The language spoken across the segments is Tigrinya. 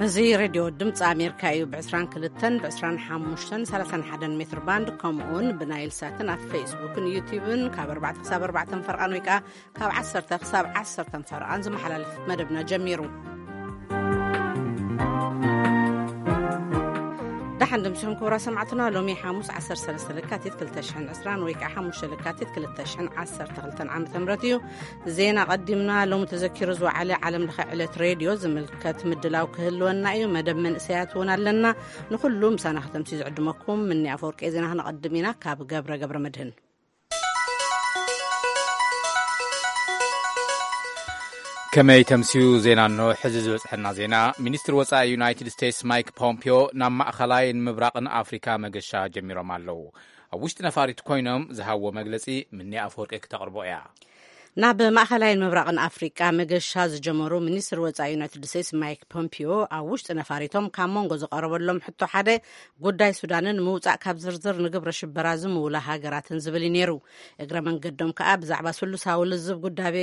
እዚ ሬድዮ ድምፂ ኣሜሪካ እዩ። ብ22፣ ብ25፣ ብ31 ሜትር ባንድ፣ ከምኡውን ብናይል ሳትን ኣብ ፌስቡክን ዩቲዩብን ካብ ኣርባዕተ ክሳብ ኣርባዕተ ፈርቓን ወይ ከዓ ካብ ዓሰርተ ክሳብ ዓሰርተ ፈርቓን ዝመሓላለፍ መደብና ጀሚሩ። ደሓን ድምፅኹም ክቡራ ሰማዕትና። ሎሚ ሓሙስ ዓሰርተ ሰለስተ ለካቲት ክልተ ሽሕን ዕስራን ወይ ከዓ ሓሙሽተ ለካቲት ክልተ ሽሕን ዓሰርተ ክልተን ዓመተ ምህረት እዩ። ዜና ቀዲምና። ሎሚ ተዘኪሩ ዝወዓለ ዓለም ለኸ ዕለት ሬድዮ ዝምልከት ምድላው ክህልወና እዩ። መደብ መንእሰያት እውን ኣለና። ንኹሉ ምሳና ከተምሲ ዝዕድመኩም ምኒ ኣፈወርቂ። ዜና ክነቐድም ኢና ካብ ገብረ ገብረ መድህን። ከመይ ተምስዩ ዜና? እኖ ሕዚ ዝበጽሐና ዜና። ሚኒስትር ወጻኢ ዩናይትድ ስቴትስ ማይክ ፖምፒዮ ናብ ማእኸላይን ምብራቕን ኣፍሪካ መገሻ ጀሚሮም ኣለዉ። ኣብ ውሽጢ ነፋሪት ኮይኖም ዝሃብዎ መግለጺ ምኒ ኣፈወርቂ ክተቕርቦ እያ። ናብ ማእኸላይን ምብራቕን ኣፍሪቃ መገሻ ዝጀመሩ ሚኒስትር ወጻኢ ዩናይትድ ስቴትስ ማይክ ፖምፒዮ፣ ኣብ ውሽጢ ነፋሪቶም ካብ መንጎ ዝቐረበሎም ሕቶ ሓደ ጉዳይ ሱዳንን ምውጻእ ካብ ዝርዝር ንግብረ ሽበራ ዝምውላ ሃገራትን ዝብል እዩ ነይሩ። እግረ መንገዶም ከኣ ብዛዕባ ስሉሳዊ ልዝብ ጉዳቤ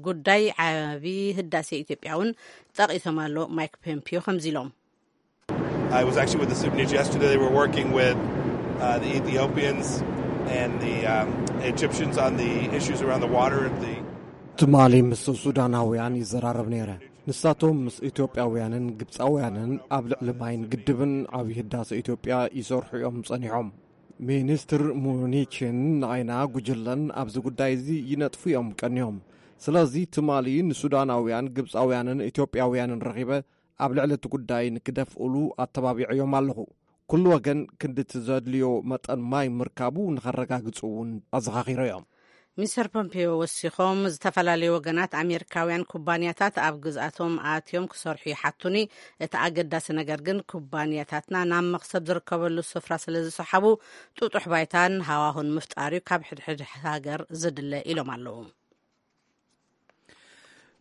ጉዳይ ዓቢ ህዳሴ ኢትዮጵያ እውን ጠቒሶም ኣሎ። ማይክ ፖምፒዮ ከምዚ ኢሎም። I was actually with the Sudanese yesterday. They were working with uh, the Ethiopians and the um, Egyptians on the issues around the water. The ትማሊ ምስ ሱዳናውያን ይዘራረብ ነይረ። ንሳቶም ምስ ኢትዮጵያውያንን ግብፃውያንን ኣብ ልዕሊ ማይን ግድብን ዓብዪ ህዳሰ ኢትዮጵያ ይሰርሑ እዮም ጸኒሖም። ሚኒስትር ሙኒችን ንኣይና ጉጅለን ኣብዚ ጉዳይ እዚ ይነጥፉ እዮም ቀንዮም። ስለዚ ትማሊ ንሱዳናውያን፣ ግብፃውያንን ኢትዮጵያውያንን ረኺበ ኣብ ልዕሊ እቲ ጉዳይ ንክደፍእሉ ኣተባቢዐዮም ኣለኹ። ኩሉ ወገን ክንዲ እቲ ዘድልዮ መጠን ማይ ምርካቡ ንኸረጋግጹ እውን ኣዘኻኺሮዮም። ሚስተር ፖምፔዮ ወሲኾም፣ ዝተፈላለዩ ወገናት ኣሜሪካውያን ኩባንያታት ኣብ ግዝኣቶም ኣትዮም ክሰርሑ ይሓቱኒ፣ እቲ ኣገዳሲ ነገር ግን ኩባንያታትና ናብ መኽሰብ ዝርከበሉ ስፍራ ስለ ዝሰሓቡ ጥጡሕ ባይታን ሃዋሁን ምፍጣር እዩ ካብ ሕድሕድ ሃገር ዝድለ ኢሎም ኣለዉ።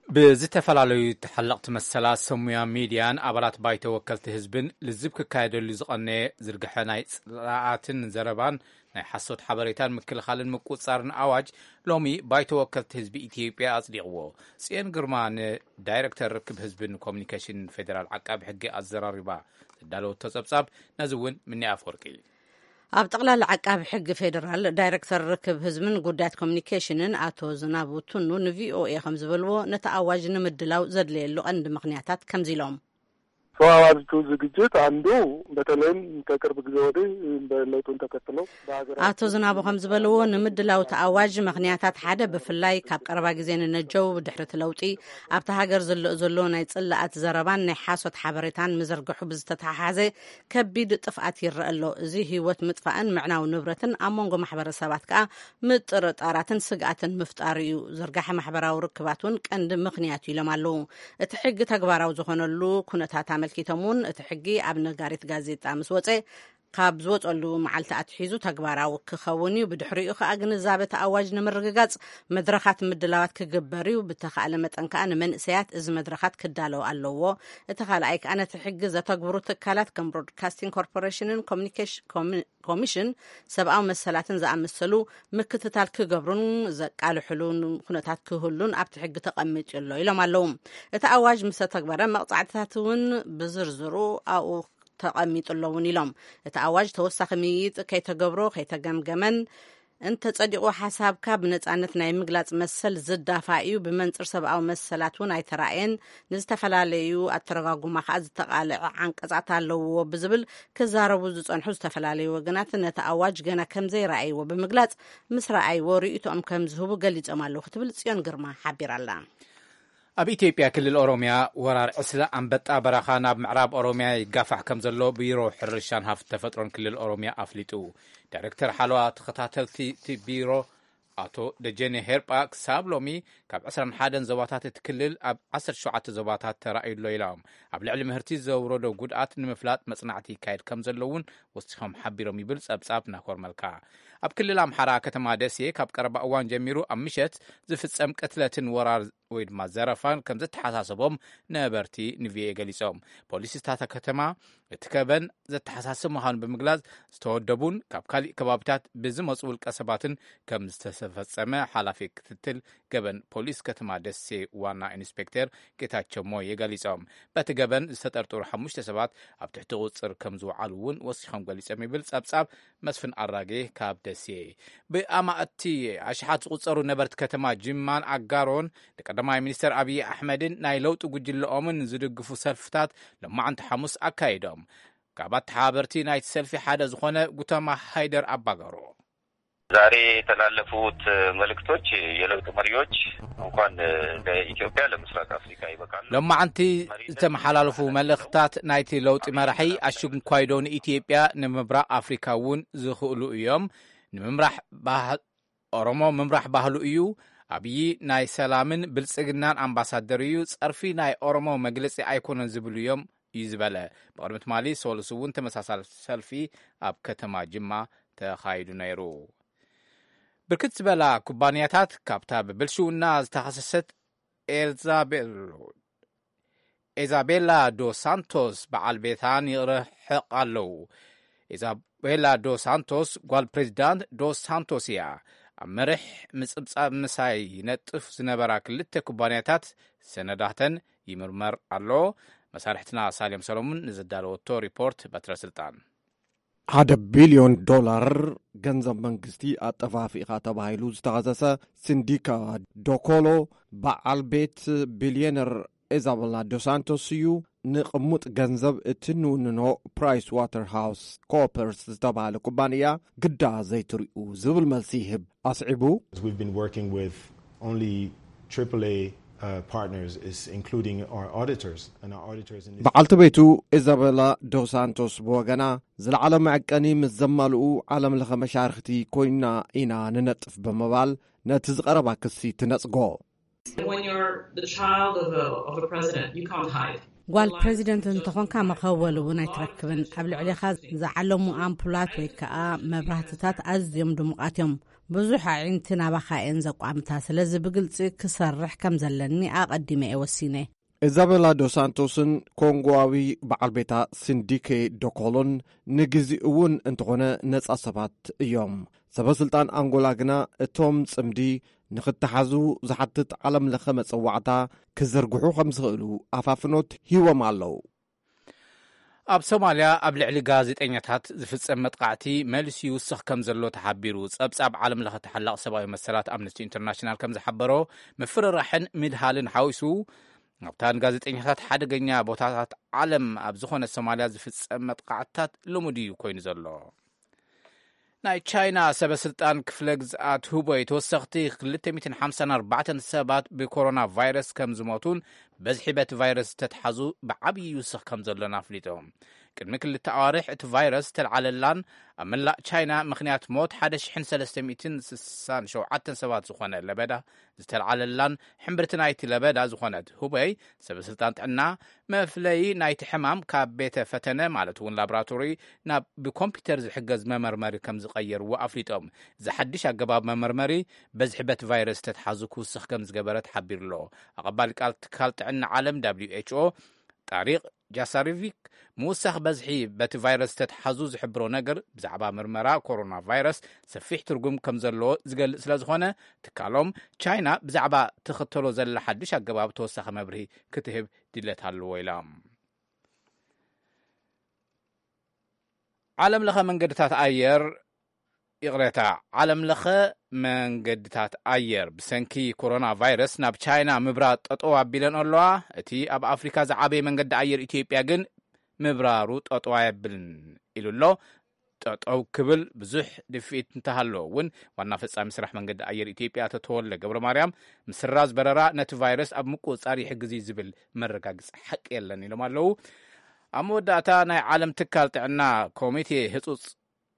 ብዝተፈላለዩ ተሓለቕቲ መሰላት፣ ሰብ ሙያ ሚድያን ኣባላት ባይቶ ወከልቲ ህዝብን ልዝብ ክካየደሉ ዝቐነየ ዝርግሐ ናይ ጽላኣትን ዘረባን ናይ ሓሶት ሓበሬታን ምክልኻልን ምቁጽጻርን ኣዋጅ ሎሚ ባይቶ ወከልቲ ህዝቢ ኢትዮጵያ ኣጽዲቕዎ። ጽዮን ግርማ ንዳይረክተር ርክብ ህዝብን ኮሚኒኬሽን ፌደራል ዓቃቢ ሕጊ ኣዘራሪባ ዘዳለወቶ ጸብጻብ ነዚ እውን ምኒ ኣፈወርቂ። ኣብ ጠቕላላ ዓቃቢ ሕጊ ፌደራል ዳይረክተር ርክብ ህዝብን ጉዳያት ኮሚኒኬሽንን ኣቶ ዝናቡ ቱኑ ንቪኦኤ ከም ዝበልዎ፣ ነቲ ኣዋጅ ንምድላው ዘድለየሉ ቀንዲ ምኽንያታት ከምዚ ኢሎም። ከዋዋዝቱ ዝግጅት አንዱ በተለይም ከቅርብ ጊዜ ወዲህ በለውጡን ተከትሎ በሀገራችን አቶ ዝናቡ ከም ዝበልዎ፣ ንምድላው እቲ ኣዋጅ ምኽንያታት ሓደ ብፍላይ ካብ ቀረባ ግዜ ንነጀው ብድሕሪ እቲ ለውጢ ኣብታ ሃገር ዝልእ ዘሎ ናይ ጽላኣት ዘረባን ናይ ሓሶት ሓበሬታን ምዝርግሑ ብዝተተሓሓዘ ከቢድ ጥፍኣት ይረአ ኣሎ። እዚ ህይወት ምጥፋእን ምዕናው ንብረትን ኣብ መንጎ ማሕበረሰባት ከኣ ምጥርጣራትን ስግኣትን ምፍጣር እዩ። ዝርጋሐ ማሕበራዊ ርክባት እውን ቀንዲ ምኽንያት እዩ ኢሎም ኣለዉ። እቲ ሕጊ ተግባራዊ ዝኾነሉ ኩነታት ኣመልኪቶም እውን፣ እቲ ሕጊ ኣብ ነጋሪት ጋዜጣ ምስ ወጸ፣ ካብ ዝወጸሉ መዓልቲ ኣትሒዙ ተግባራዊ ክኸውን እዩ። ብድሕሪኡ ከኣ ግንዛበ እቲ ኣዋጅ ንምርግጋጽ መድረኻት ምድላዋት ክግበር እዩ። ብተኻእለ መጠን ከኣ ንመንእሰያት እዚ መድረኻት ክዳለዉ ኣለዎ። እቲ ካልኣይ ከኣ ነቲ ሕጊ ዘተግብሩ ትካላት ከም ብሮድካስቲንግ ኮርፖሬሽንን ኮሚኒኬሽ-፣ ኮሚ-፣ ኮሚሽን ሰብኣዊ መሰላትን ዝኣመሰሉ ምክትታል ክገብሩን ዘቃልሕሉን ኩነታት ክህሉን ኣብቲ ሕጊ ተቐሚጡ ኣሎ ኢሎም ኣለዉ። እቲ ኣዋጅ ምስ ተተግበረ መቕጻዕትታት እውን ብዝርዝሩ ኣብኡ ተቐሚጡ ኣሎ እውን ኢሎም። እቲ ኣዋጅ ተወሳኺ ምይይጥ ከይተገብሮ ከይተገምገመን እንተጸዲቑ ሓሳብካ ብነጻነት ናይ ምግላጽ መሰል ዝዳፋእ እዩ። ብመንጽር ሰብኣዊ መሰላት እውን ኣይተራእየን። ንዝተፈላለዩ ኣተረጓጉማ ከኣ ዝተቓልዐ ዓንቀጻት ኣለውዎ ብዝብል ክዛረቡ ዝጸንሑ ዝተፈላለዩ ወገናት ነቲ ኣዋጅ ገና ከም ዘይረኣይዎ ብምግላጽ፣ ምስ ረኣይዎ ርእይቶኦም ከም ዝህቡ ገሊጾም ኣለዉ ክትብል ጽዮን ግርማ ሓቢራ ኣላ። ኣብ ኢትዮጵያ ክልል ኦሮሚያ ወራር ዕስለ ኣንበጣ በረኻ ናብ ምዕራብ ኦሮሚያ ይጋፋሕ ከም ዘሎ ቢሮ ሕርሻን ሃፍቲ ተፈጥሮን ክልል ኦሮሚያ ኣፍሊጡ። ዳይሬክተር ሓለዋ ተኸታተልቲ እቲ ቢሮ ኣቶ ደጀኔ ሄርጳ ክሳብ ሎሚ ካብ ዕስራን ሓደን ዞባታት እቲ ክልል ኣብ ዓሰርተ ሸውዓተ ዞባታት ተራእዩ ኣሎ ኢሎም። ኣብ ልዕሊ ምህርቲ ዘውረዶ ጉድኣት ንምፍላጥ መጽናዕቲ ይካየድ ከም ዘሎ እውን ወሲኾም ሓቢሮም ይብል ጸብጻብ ናኮር መልካ። ኣብ ክልል ኣምሓራ ከተማ ደሴ ካብ ቀረባ እዋን ጀሚሩ ኣብ ምሸት ዝፍጸም ቅትለትን ወራር ወይ ድማ ዘረፋን ከም ዘተሓሳሰቦም ነበርቲ ንቪኦኤ ገሊጾም። ፖሊስ እታ ከተማ እቲ ከበን ዘተሓሳስብ ምዃኑ ብምግላጽ፣ ዝተወደቡን ካብ ካሊእ ከባቢታት ብዝመጹ ውልቀ ሰባትን ከም ዝተፈጸመ ሓላፊ ክትትል ገበን ፖሊስ ከተማ ደሴ ዋና ኢንስፔክተር ጌታቸው ሞየ ገሊጾም። በቲ ገበን ዝተጠርጠሩ ሓሙሽተ ሰባት ኣብ ትሕቲ ቁጽር ከም ዝወዓሉ እውን ወሲኾም ገሊጾም ይብል ጸብጻብ መስፍን ኣራጌ ካብ ደሴ። ብኣማእቲ ኣሽሓት ዝቁጸሩ ነበርቲ ከተማ ጅማን ኣጋሮን ንቀዳማይ ሚኒስተር ኣብዪ ኣሕመድን ናይ ለውጢ ጉጅለኦምን ዝድግፉ ሰልፍታት ሎማዓንቲ ሓሙስ ኣካይዶም። ካብ ኣተሓባበርቲ ናይቲ ሰልፊ ሓደ ዝኾነ ጉተማ ሃይደር ኣባጋሮ። ዛሬ የተላለፉት መልእክቶች የለውጥ መሪዎች እንኳን ለኢትዮጵያ ለምስራቅ አፍሪካ ይበቃሉ። ሎማዓንቲ ዝተመሓላለፉ መልእኽታት ናይቲ ለውጢ መራሒ ኣሽንኳይዶ ንኢትዮጵያ ንምብራቕ ኣፍሪካ እውን ዝኽእሉ እዮም። ንምምራሕ ኦሮሞ ምምራሕ ባህሉ እዩ። ኣብዪ ናይ ሰላምን ብልጽግናን ኣምባሳደር እዩ። ጸርፊ ናይ ኦሮሞ መግለጺ ኣይኮነን ዝብሉ እዮም እዩ ዝበለ። ብቕድሚ ትማሊ ሰሉስ እውን ተመሳሳሊ ሰልፊ ኣብ ከተማ ጅማ ተኻይዱ ነይሩ። ብርክት ዝበላ ኩባንያታት ካብታ ብብልሽውና ዝተኸሰሰት ኤልዛቤሎ ኢዛቤላ ዶ ሳንቶስ በዓል ቤታን ይርሕቕ ኣለዉ። ኢዛቤላ ዶ ሳንቶስ ጓል ፕሬዚዳንት ዶ ሳንቶስ እያ። ኣብ መርሕ ምጽብጻብ ምሳይ ይነጥፍ ዝነበራ ክልተ ኩባንያታት ሰነዳተን ይምርመር ኣሎ። መሳርሕትና ሳልዮም ሰሎሙን ንዘዳለወቶ ሪፖርት በትረ ስልጣን። ሓደ ቢልዮን ዶላር ገንዘብ መንግስቲ ኣጠፋፊእኻ ተባሂሉ ዝተኸሰሰ ሲንዲካ ዶኮሎ በዓል ቤት ቢልዮነር ኢዛቤላ ዶሳንቶስ እዩ። ንቕሙጥ ገንዘብ እቲ ንውንኖ ፕራይስ ዋተር ሃውስ ኮፐርስ ዝተባሃለ ኩባንያ ግዳ ዘይትሪኡ ዝብል መልሲ ይህብ ኣስዒቡ። We've been working with only triple A uh, partners, is including our auditors and our auditors in this. በዓልቲ ቤቱ ኢዛቤላ ዶሳንቶስ ብወገና ዝለዓለ መዐቀኒ ምስ ዘማልኡ ዓለም ለኸ መሻርክቲ ኮይና ኢና ንነጥፍ ብምባል ነቲ ዝቐረባ ክሲ ትነጽጎ። When you're the child of a, of a president, you can't hide. ጓል ፕሬዚደንት እንተኾንካ መኸወል እውን ኣይትረክብን። ኣብ ልዕሌኻ ዝዓለሙ ኣምፑላት ወይ ከዓ መብራህትታት ኣዝዮም ድሙቓት እዮም። ብዙሕ ኣዒንቲ ናባኻ እየን ዘቋምታ። ስለዚ ብግልፂ ክሰርሕ ከም ዘለኒ ኣቐዲመ እየ ወሲነ። ኢዛቤላ ዶሳንቶስን ኮንጎዋዊ በዓል ቤታ ሲንዲኬ ዶኮሎን ንግዜኡ እውን እንተኾነ ነጻ ሰባት እዮም። ሰበ ስልጣን ኣንጎላ ግና እቶም ጽምዲ ንኽተሓዙ ዝሓትት ዓለም ለኸ መጸዋዕታ ክዘርግሑ ከም ዝኽእሉ ኣፋፍኖት ሂቦም ኣለዉ። ኣብ ሶማልያ ኣብ ልዕሊ ጋዜጠኛታት ዝፍጸም መጥቃዕቲ መልሲ ይውስኽ ከም ዘሎ ተሓቢሩ። ጸብጻብ ዓለም ለኸ ተሓላቕ ሰብኣዊ መሰላት ኣምነስቲ ኢንተርናሽናል ከም ዝሓበሮ፣ ምፍርራሕን ምድሃልን ሓዊሱ ኣብታ ንጋዜጠኛታት ሓደገኛ ቦታታት ዓለም ኣብ ዝኾነ ሶማልያ ዝፍጸም መጥቃዕትታት ልሙድ እዩ ኮይኑ ዘሎ። ናይ ቻይና ሰበ ስልጣን ክፍለ ግዝኣት ሁበይ ተወሰኽቲ ክልተ ሚእትን ሓምሳን ኣርባዕተን ሰባት ብኮሮና ቫይረስ ከም ዝሞቱን በዝሒ በቲ ቫይረስ ዝተትሓዙ ብዓብዪ ይውስኽ ከም ዘሎን ኣፍሊጡ። ቅድሚ ክልተ ኣዋርሕ እቲ ቫይረስ ዝተልዓለላን ኣብ መላእ ቻይና ምኽንያት ሞት ሓደ ሽሕን ሰለስተ ሚእትን ስሳን ሸውዓተን ሰባት ዝኾነ ለበዳ ዝተልዓለላን ሕምብርቲ ናይቲ ለበዳ ዝኾነት ሁበይ ሰበ ስልጣን ጥዕና መፍለዪ ናይቲ ሕማም ካብ ቤተ ፈተነ ማለት እውን ላቦራቶሪ ናብ ብኮምፒውተር ዝሕገዝ መመርመሪ ከም ዝቐየርዎ ኣፍሊጦም። እዚ ሓድሽ ኣገባብ መመርመሪ በዝሒ በቲ ቫይረስ ተትሓዙ ክውስኽ ከም ዝገበረ ተሓቢሩ ኣሎ። ኣቐባሊ ቃል ትካል ጥዕና ዓለም ደብሊው ኤች ኦ ጣሪቕ ጃሳሪቪክ ምውሳኽ በዝሒ በቲ ቫይረስ ተትሓዙ ዝሕብሮ ነገር ብዛዕባ ምርመራ ኮሮና ቫይረስ ሰፊሕ ትርጉም ከም ዘለዎ ዝገልጽ ስለ ዝኾነ ትካሎም ቻይና ብዛዕባ ትኽተሎ ዘላ ሓድሽ ኣገባብ ተወሳኺ መብርሂ ክትህብ ድለት ኣለዎ ኢሎም። ዓለም ለኸ መንገድታት ኣየር ይቕሬታ፣ ዓለም ለኸ መንገድታት ኣየር ብሰንኪ ኮሮና ቫይረስ ናብ ቻይና ምብራር ጠጠው ኣቢለን ኣለዋ። እቲ ኣብ ኣፍሪካ ዝዓበየ መንገዲ ኣየር ኢትዮጵያ ግን ምብራሩ ጠጠው ኣየብልን ኢሉ ኣሎ። ጠጠው ክብል ብዙሕ ድፍኢት እንተሃለዎ እውን ዋና ፈጻሚ ስራሕ መንገዲ ኣየር ኢትዮጵያ ኣቶ ተወልደ ገብረ ማርያም ምስራዝ በረራ ነቲ ቫይረስ ኣብ ምቁፅፃር ይሕግዝ እዩ ዝብል መረጋግፂ ሓቂ የለን ኢሎም ኣለዉ። ኣብ መወዳእታ ናይ ዓለም ትካል ጥዕና ኮሚቴ ህፁፅ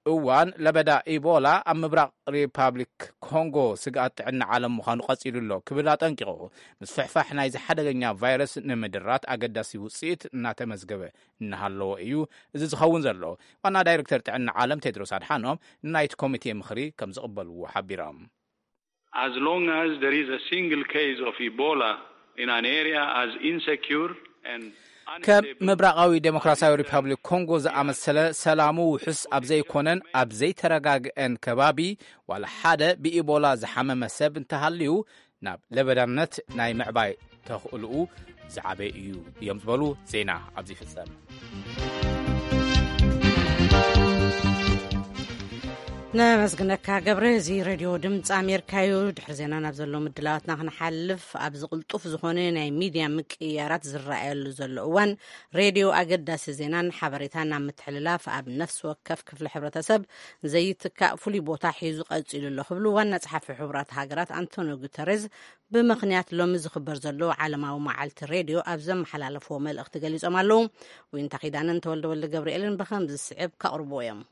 እዋን ለበዳ ኢቦላ ኣብ ምብራቕ ሪፓብሊክ ኮንጎ ስግኣት ጥዕና ዓለም ምዃኑ ቀፂሉ ኣሎ ክብል ኣጠንቂቑ። ምስፍሕፋሕ ናይዚ ሓደገኛ ቫይረስ ንምድራት ኣገዳሲ ውፅኢት እናተመዝገበ እናሃለዎ እዩ እዚ ዝኸውን ዘሎ። ዋና ዳይሬክተር ጥዕና ዓለም ቴድሮስ ኣድሓኖም ንናይቲ ኮሚቴ ምኽሪ ከም ዝቕበልዎ ሓቢሮም። As long as there is a single case of Ebola in an area as insecure and ከም ምብራቓዊ ዴሞክራሲያዊ ሪፓብሊክ ኮንጎ ዝኣመሰለ ሰላሙ ውሑስ ኣብ ዘይኮነን ኣብ ዘይተረጋግአን ከባቢ ዋላ ሓደ ብኢቦላ ዝሓመመ ሰብ እንተሃልዩ ናብ ለበዳነት ናይ ምዕባይ ተኽእልኡ ዝዓበየ እዩ እዮም ዝበሉ። ዜና ኣብዚ ይፍጸም። ነመስግነካ ገብረ። እዚ ሬድዮ ድምፂ ኣሜሪካ እዩ። ድሕሪ ዜና ናብ ዘሎ ምድላዋትና ክንሓልፍ፣ ኣብዚ ቅልጡፍ ዝኾነ ናይ ሚድያ ምቅይያራት ዝረኣየሉ ዘሎ እዋን፣ ሬድዮ ኣገዳሲ ዜናን ሓበሬታን ኣብ ምትሕልላፍ ኣብ ነፍሲ ወከፍ ክፍሊ ሕብረተሰብ ዘይትካእ ፍሉይ ቦታ ሒዙ ቀፂሉ ኣሎ ክብሉ ዋና ጸሓፊ ሕቡራት ሃገራት ኣንቶኒዮ ጉተሬዝ ብምኽንያት ሎሚ ዝኽበር ዘሎ ዓለማዊ መዓልቲ ሬድዮ ኣብ ዘመሓላለፍዎ መልእኽቲ ገሊጾም ኣለዉ። ዊንታ ኪዳነን ተወልደ ወልደ ገብርኤልን ብኸም ዝስዕብ ከቕርብዎ እዮም።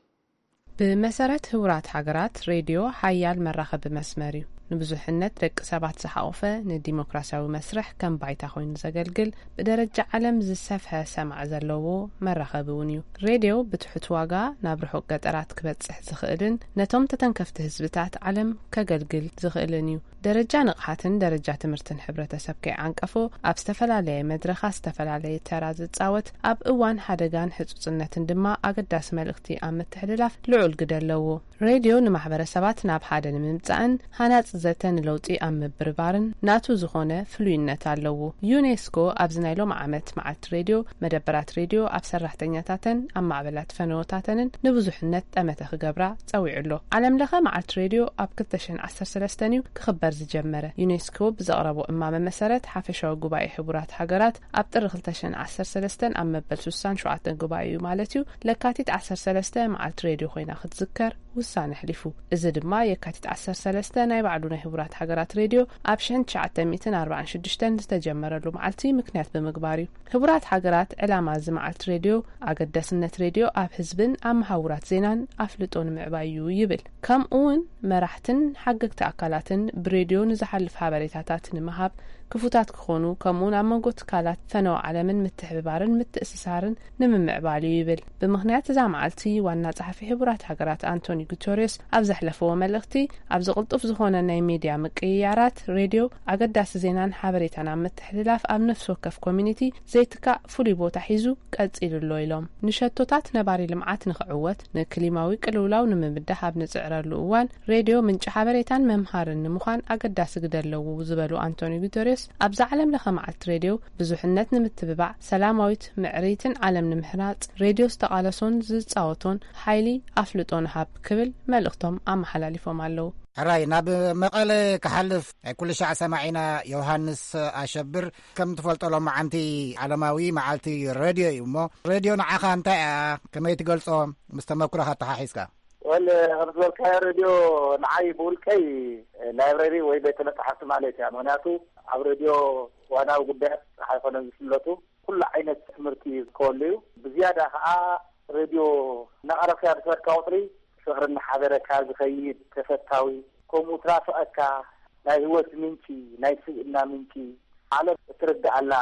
ብመሰረት ህቡራት ሃገራት፣ ሬድዮ ሓያል መራኸቢ መስመር እዩ። ንብዙሕነት ደቂ ሰባት ዝሓቖፈ፣ ንዲሞክራሲያዊ መስርሕ ከም ባይታ ኮይኑ ዘገልግል፣ ብደረጃ ዓለም ዝሰፍሐ ሰማዕ ዘለዎ መራኸቢ እውን እዩ። ሬድዮ ብትሑት ዋጋ ናብ ርሑቕ ገጠራት ክበጽሕ ዝኽእልን ነቶም ተተንከፍቲ ህዝብታት ዓለም ከገልግል ዝኽእልን እዩ። ደረጃ ንቕሓትን ደረጃ ትምህርትን ሕብረተሰብ ከይዓንቀፎ፣ ኣብ ዝተፈላለየ መድረኻት ዝተፈላለየ ተራ ዝጻወት፣ ኣብ እዋን ሓደጋን ህጹጽነትን ድማ ኣገዳሲ መልእኽቲ ኣብ ምትሕልላፍ ልዑል ግደ ኣለዎ። ሬድዮ ንማሕበረሰባት ናብ ሓደ ንምምጻእን ሃናጺ ዘተ ንለውጢ ኣብ ምብርባርን ናቱ ዝኾነ ፍሉይነት ኣለዎ። ዩኔስኮ ኣብዚ ናይ ሎም ዓመት መዓልቲ ሬድዮ፣ መደበራት ሬድዮ ኣብ ሰራሕተኛታተን ኣብ ማዕበላት ፈነወታተንን ንብዙሕነት ጠመተ ክገብራ ጸዊዑ ኣሎ። ዓለም ለኸ መዓልቲ ሬድዮ ኣብ ክልተ ሽሕን ዓሰርተ ሰለስተን እዩ ክኽበር ዝጀመረ። ዩኔስኮ ብዘቕረቦ እማመ መሰረት፣ ሓፈሻዊ ጉባኤ ሕቡራት ሃገራት ኣብ ጥሪ ክልተ ሽሕን ዓሰርተ ሰለስተን ኣብ መበል ስሳን ሸውዓተን ጉባኤ እዩ ማለት እዩ፣ ለካቲት ዓሰርተ ሰለስተ መዓልቲ ሬድዮ ኮይና ክትዝከር ውሳነ ኣሕሊፉ። እዚ ድማ የካቲት ዓሰርተ ሰለስተ ናይ ባዕሉ ናይ ሕቡራት ሃገራት ሬድዮ ኣብ ሽሕን ትሽዓተ ሚእትን ኣርባዓን ሽዱሽተን ዝተጀመረሉ መዓልቲ ምክንያት ብምግባር እዩ። ሕቡራት ሃገራት ዕላማ እዚ መዓልቲ ሬድዮ ኣገዳስነት ሬድዮ ኣብ ህዝብን ኣብ መሃውራት ዜናን ኣፍልጦ ንምዕባይ እዩ ይብል። ከምኡ እውን መራሕትን ሓገግቲ ኣካላትን ብሬድዮ ንዝሓልፍ ሓበሬታታት ንምሃብ ክፉታት ክኾኑ፣ ከምኡውን ኣብ መንጎ ትካላት ፈነወ ዓለምን ምትሕብባርን ምትእስሳርን ንምምዕባል እዩ ይብል። ብምኽንያት እዛ መዓልቲ ዋና ጸሓፊ ሕቡራት ሃገራት ኣንቶኒ ጉተሬስ ኣብ ዘሕለፈዎ መልእኽቲ፣ ኣብዚ ቅልጡፍ ዝኾነ ናይ ሚድያ ምቅይያራት ሬድዮ ኣገዳሲ ዜናን ሓበሬታን ኣብ ምትሕልላፍ ኣብ ነፍሲ ወከፍ ኮሚኒቲ ዘይትካእ ፍሉይ ቦታ ሒዙ ቀጺሉ ኣሎ ኢሎም። ንሸቶታት ነባሪ ልምዓት ንኽዕወት፣ ንክሊማዊ ቅልውላው ንምብዳህ ኣብ ንጽዕረሉ እዋን፣ ሬድዮ ምንጪ ሓበሬታን መምሃርን ንምዃን ኣገዳሲ ግደ ኣለዎ ዝበሉ ኣንቶኒ ጉተሬስ፣ ኣብዛ ዓለም ለኸ መዓልቲ ሬድዮ ብዙሕነት ንምትብባዕ፣ ሰላማዊት ምዕርይትን ዓለም ንምሕናጽ ሬድዮ ዝተቓለሶን ዝጻወቶን ሓይሊ ኣፍልጦ ንሃብ ክብል መልእኽቶም ኣመሓላሊፎም ኣለዉ። ሕራይ ናብ መቐለ ክሓልፍ ናይ ኩሉ ሻዕ ሰማዒና ዮሃንስ ኣሸብር ከም ትፈልጦ ሎማዓንቲ ዓለማዊ መዓልቲ ሬድዮ እዩ እሞ፣ ሬድዮ ንዓኻ እንታይ እያ? ከመይ ትገልጾ? ምስ ተመኩሮኻ ኣተሓሒዝካ። ወል፣ ከም ዝበልካዮ ሬድዮ ንዓይ ብውልቀይ ላይብረሪ ወይ ቤተ መጻሕፍቲ ማለት እያ። ምኽንያቱ ኣብ ሬድዮ ዋናዊ ጉዳያት ጥራሕ ኣይኮነን ዝፍለጡ፣ ኩሉ ዓይነት ትምህርቲ ዝርከበሉ እዩ። ብዝያዳ ከዓ ሬድዮ እናቐረብካዮ ብትበድካ ቁፅሪ ፍቕሪ እናሓደረካ ዝኸይድ ተፈታዊ፣ ከምኡ ትናፍቐካ ናይ ህይወት ምንጪ፣ ናይ ስብእና ምንጪ፣ ዓለም እትርድኣላ፣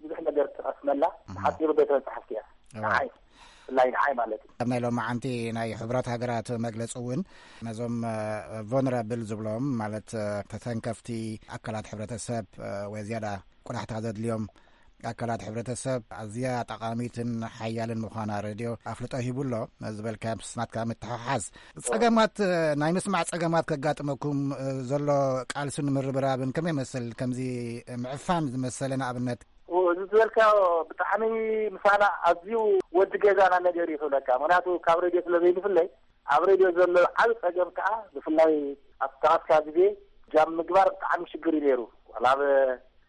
ብዙሕ ነገር ትቐስመላ፣ እም። ሓፂሩ ቤተ መጻሕፍቲ እያ። እዋ። ንዓይ፣ ብፍላይ ንዓይ ማለት እዩ። ኣብ ናይ ሎማዓንቲ ናይ ሕቡራት ሃገራት መግለፂ እውን ነዞም ቮነራብል ዝብሎም ማለት ተተንከፍቲ ኣካላት ሕብረተሰብ ወይ ዝያዳ ቆላሕታ ዘድልዮም ኣካላት ሕብረተሰብ ኣዝያ ጠቓሚትን ሓያልን ምዃና ሬድዮ ኣፍልጦ ሂቡ ኣሎ። ዝበልካ ምስ ናትካ ምትሕሓዝ ጸገማት፣ ናይ ምስማዕ ጸገማት ከጋጥመኩም ዘሎ ቃልስን ምርብራብን ከመይ ይመስል? ከምዚ ምዕፋን ዝመሰለ ንኣብነት። እዚ ዝበልካዮ ብጣዕሚ ምሳና ኣዝዩ ወዲ ገዛና ነገር እዩ ክብለካ። ምኽንያቱ ካብ ሬድዮ ስለ ዘይንፍለይ ኣብ ሬድዮ ዘሎ ዓቢ ጸገም ከኣ ብፍላይ ኣብ ተቓስካ ግዜ ጃም ምግባር ብጣዕሚ ሽግር እዩ ነይሩ። ዋላ ኣብ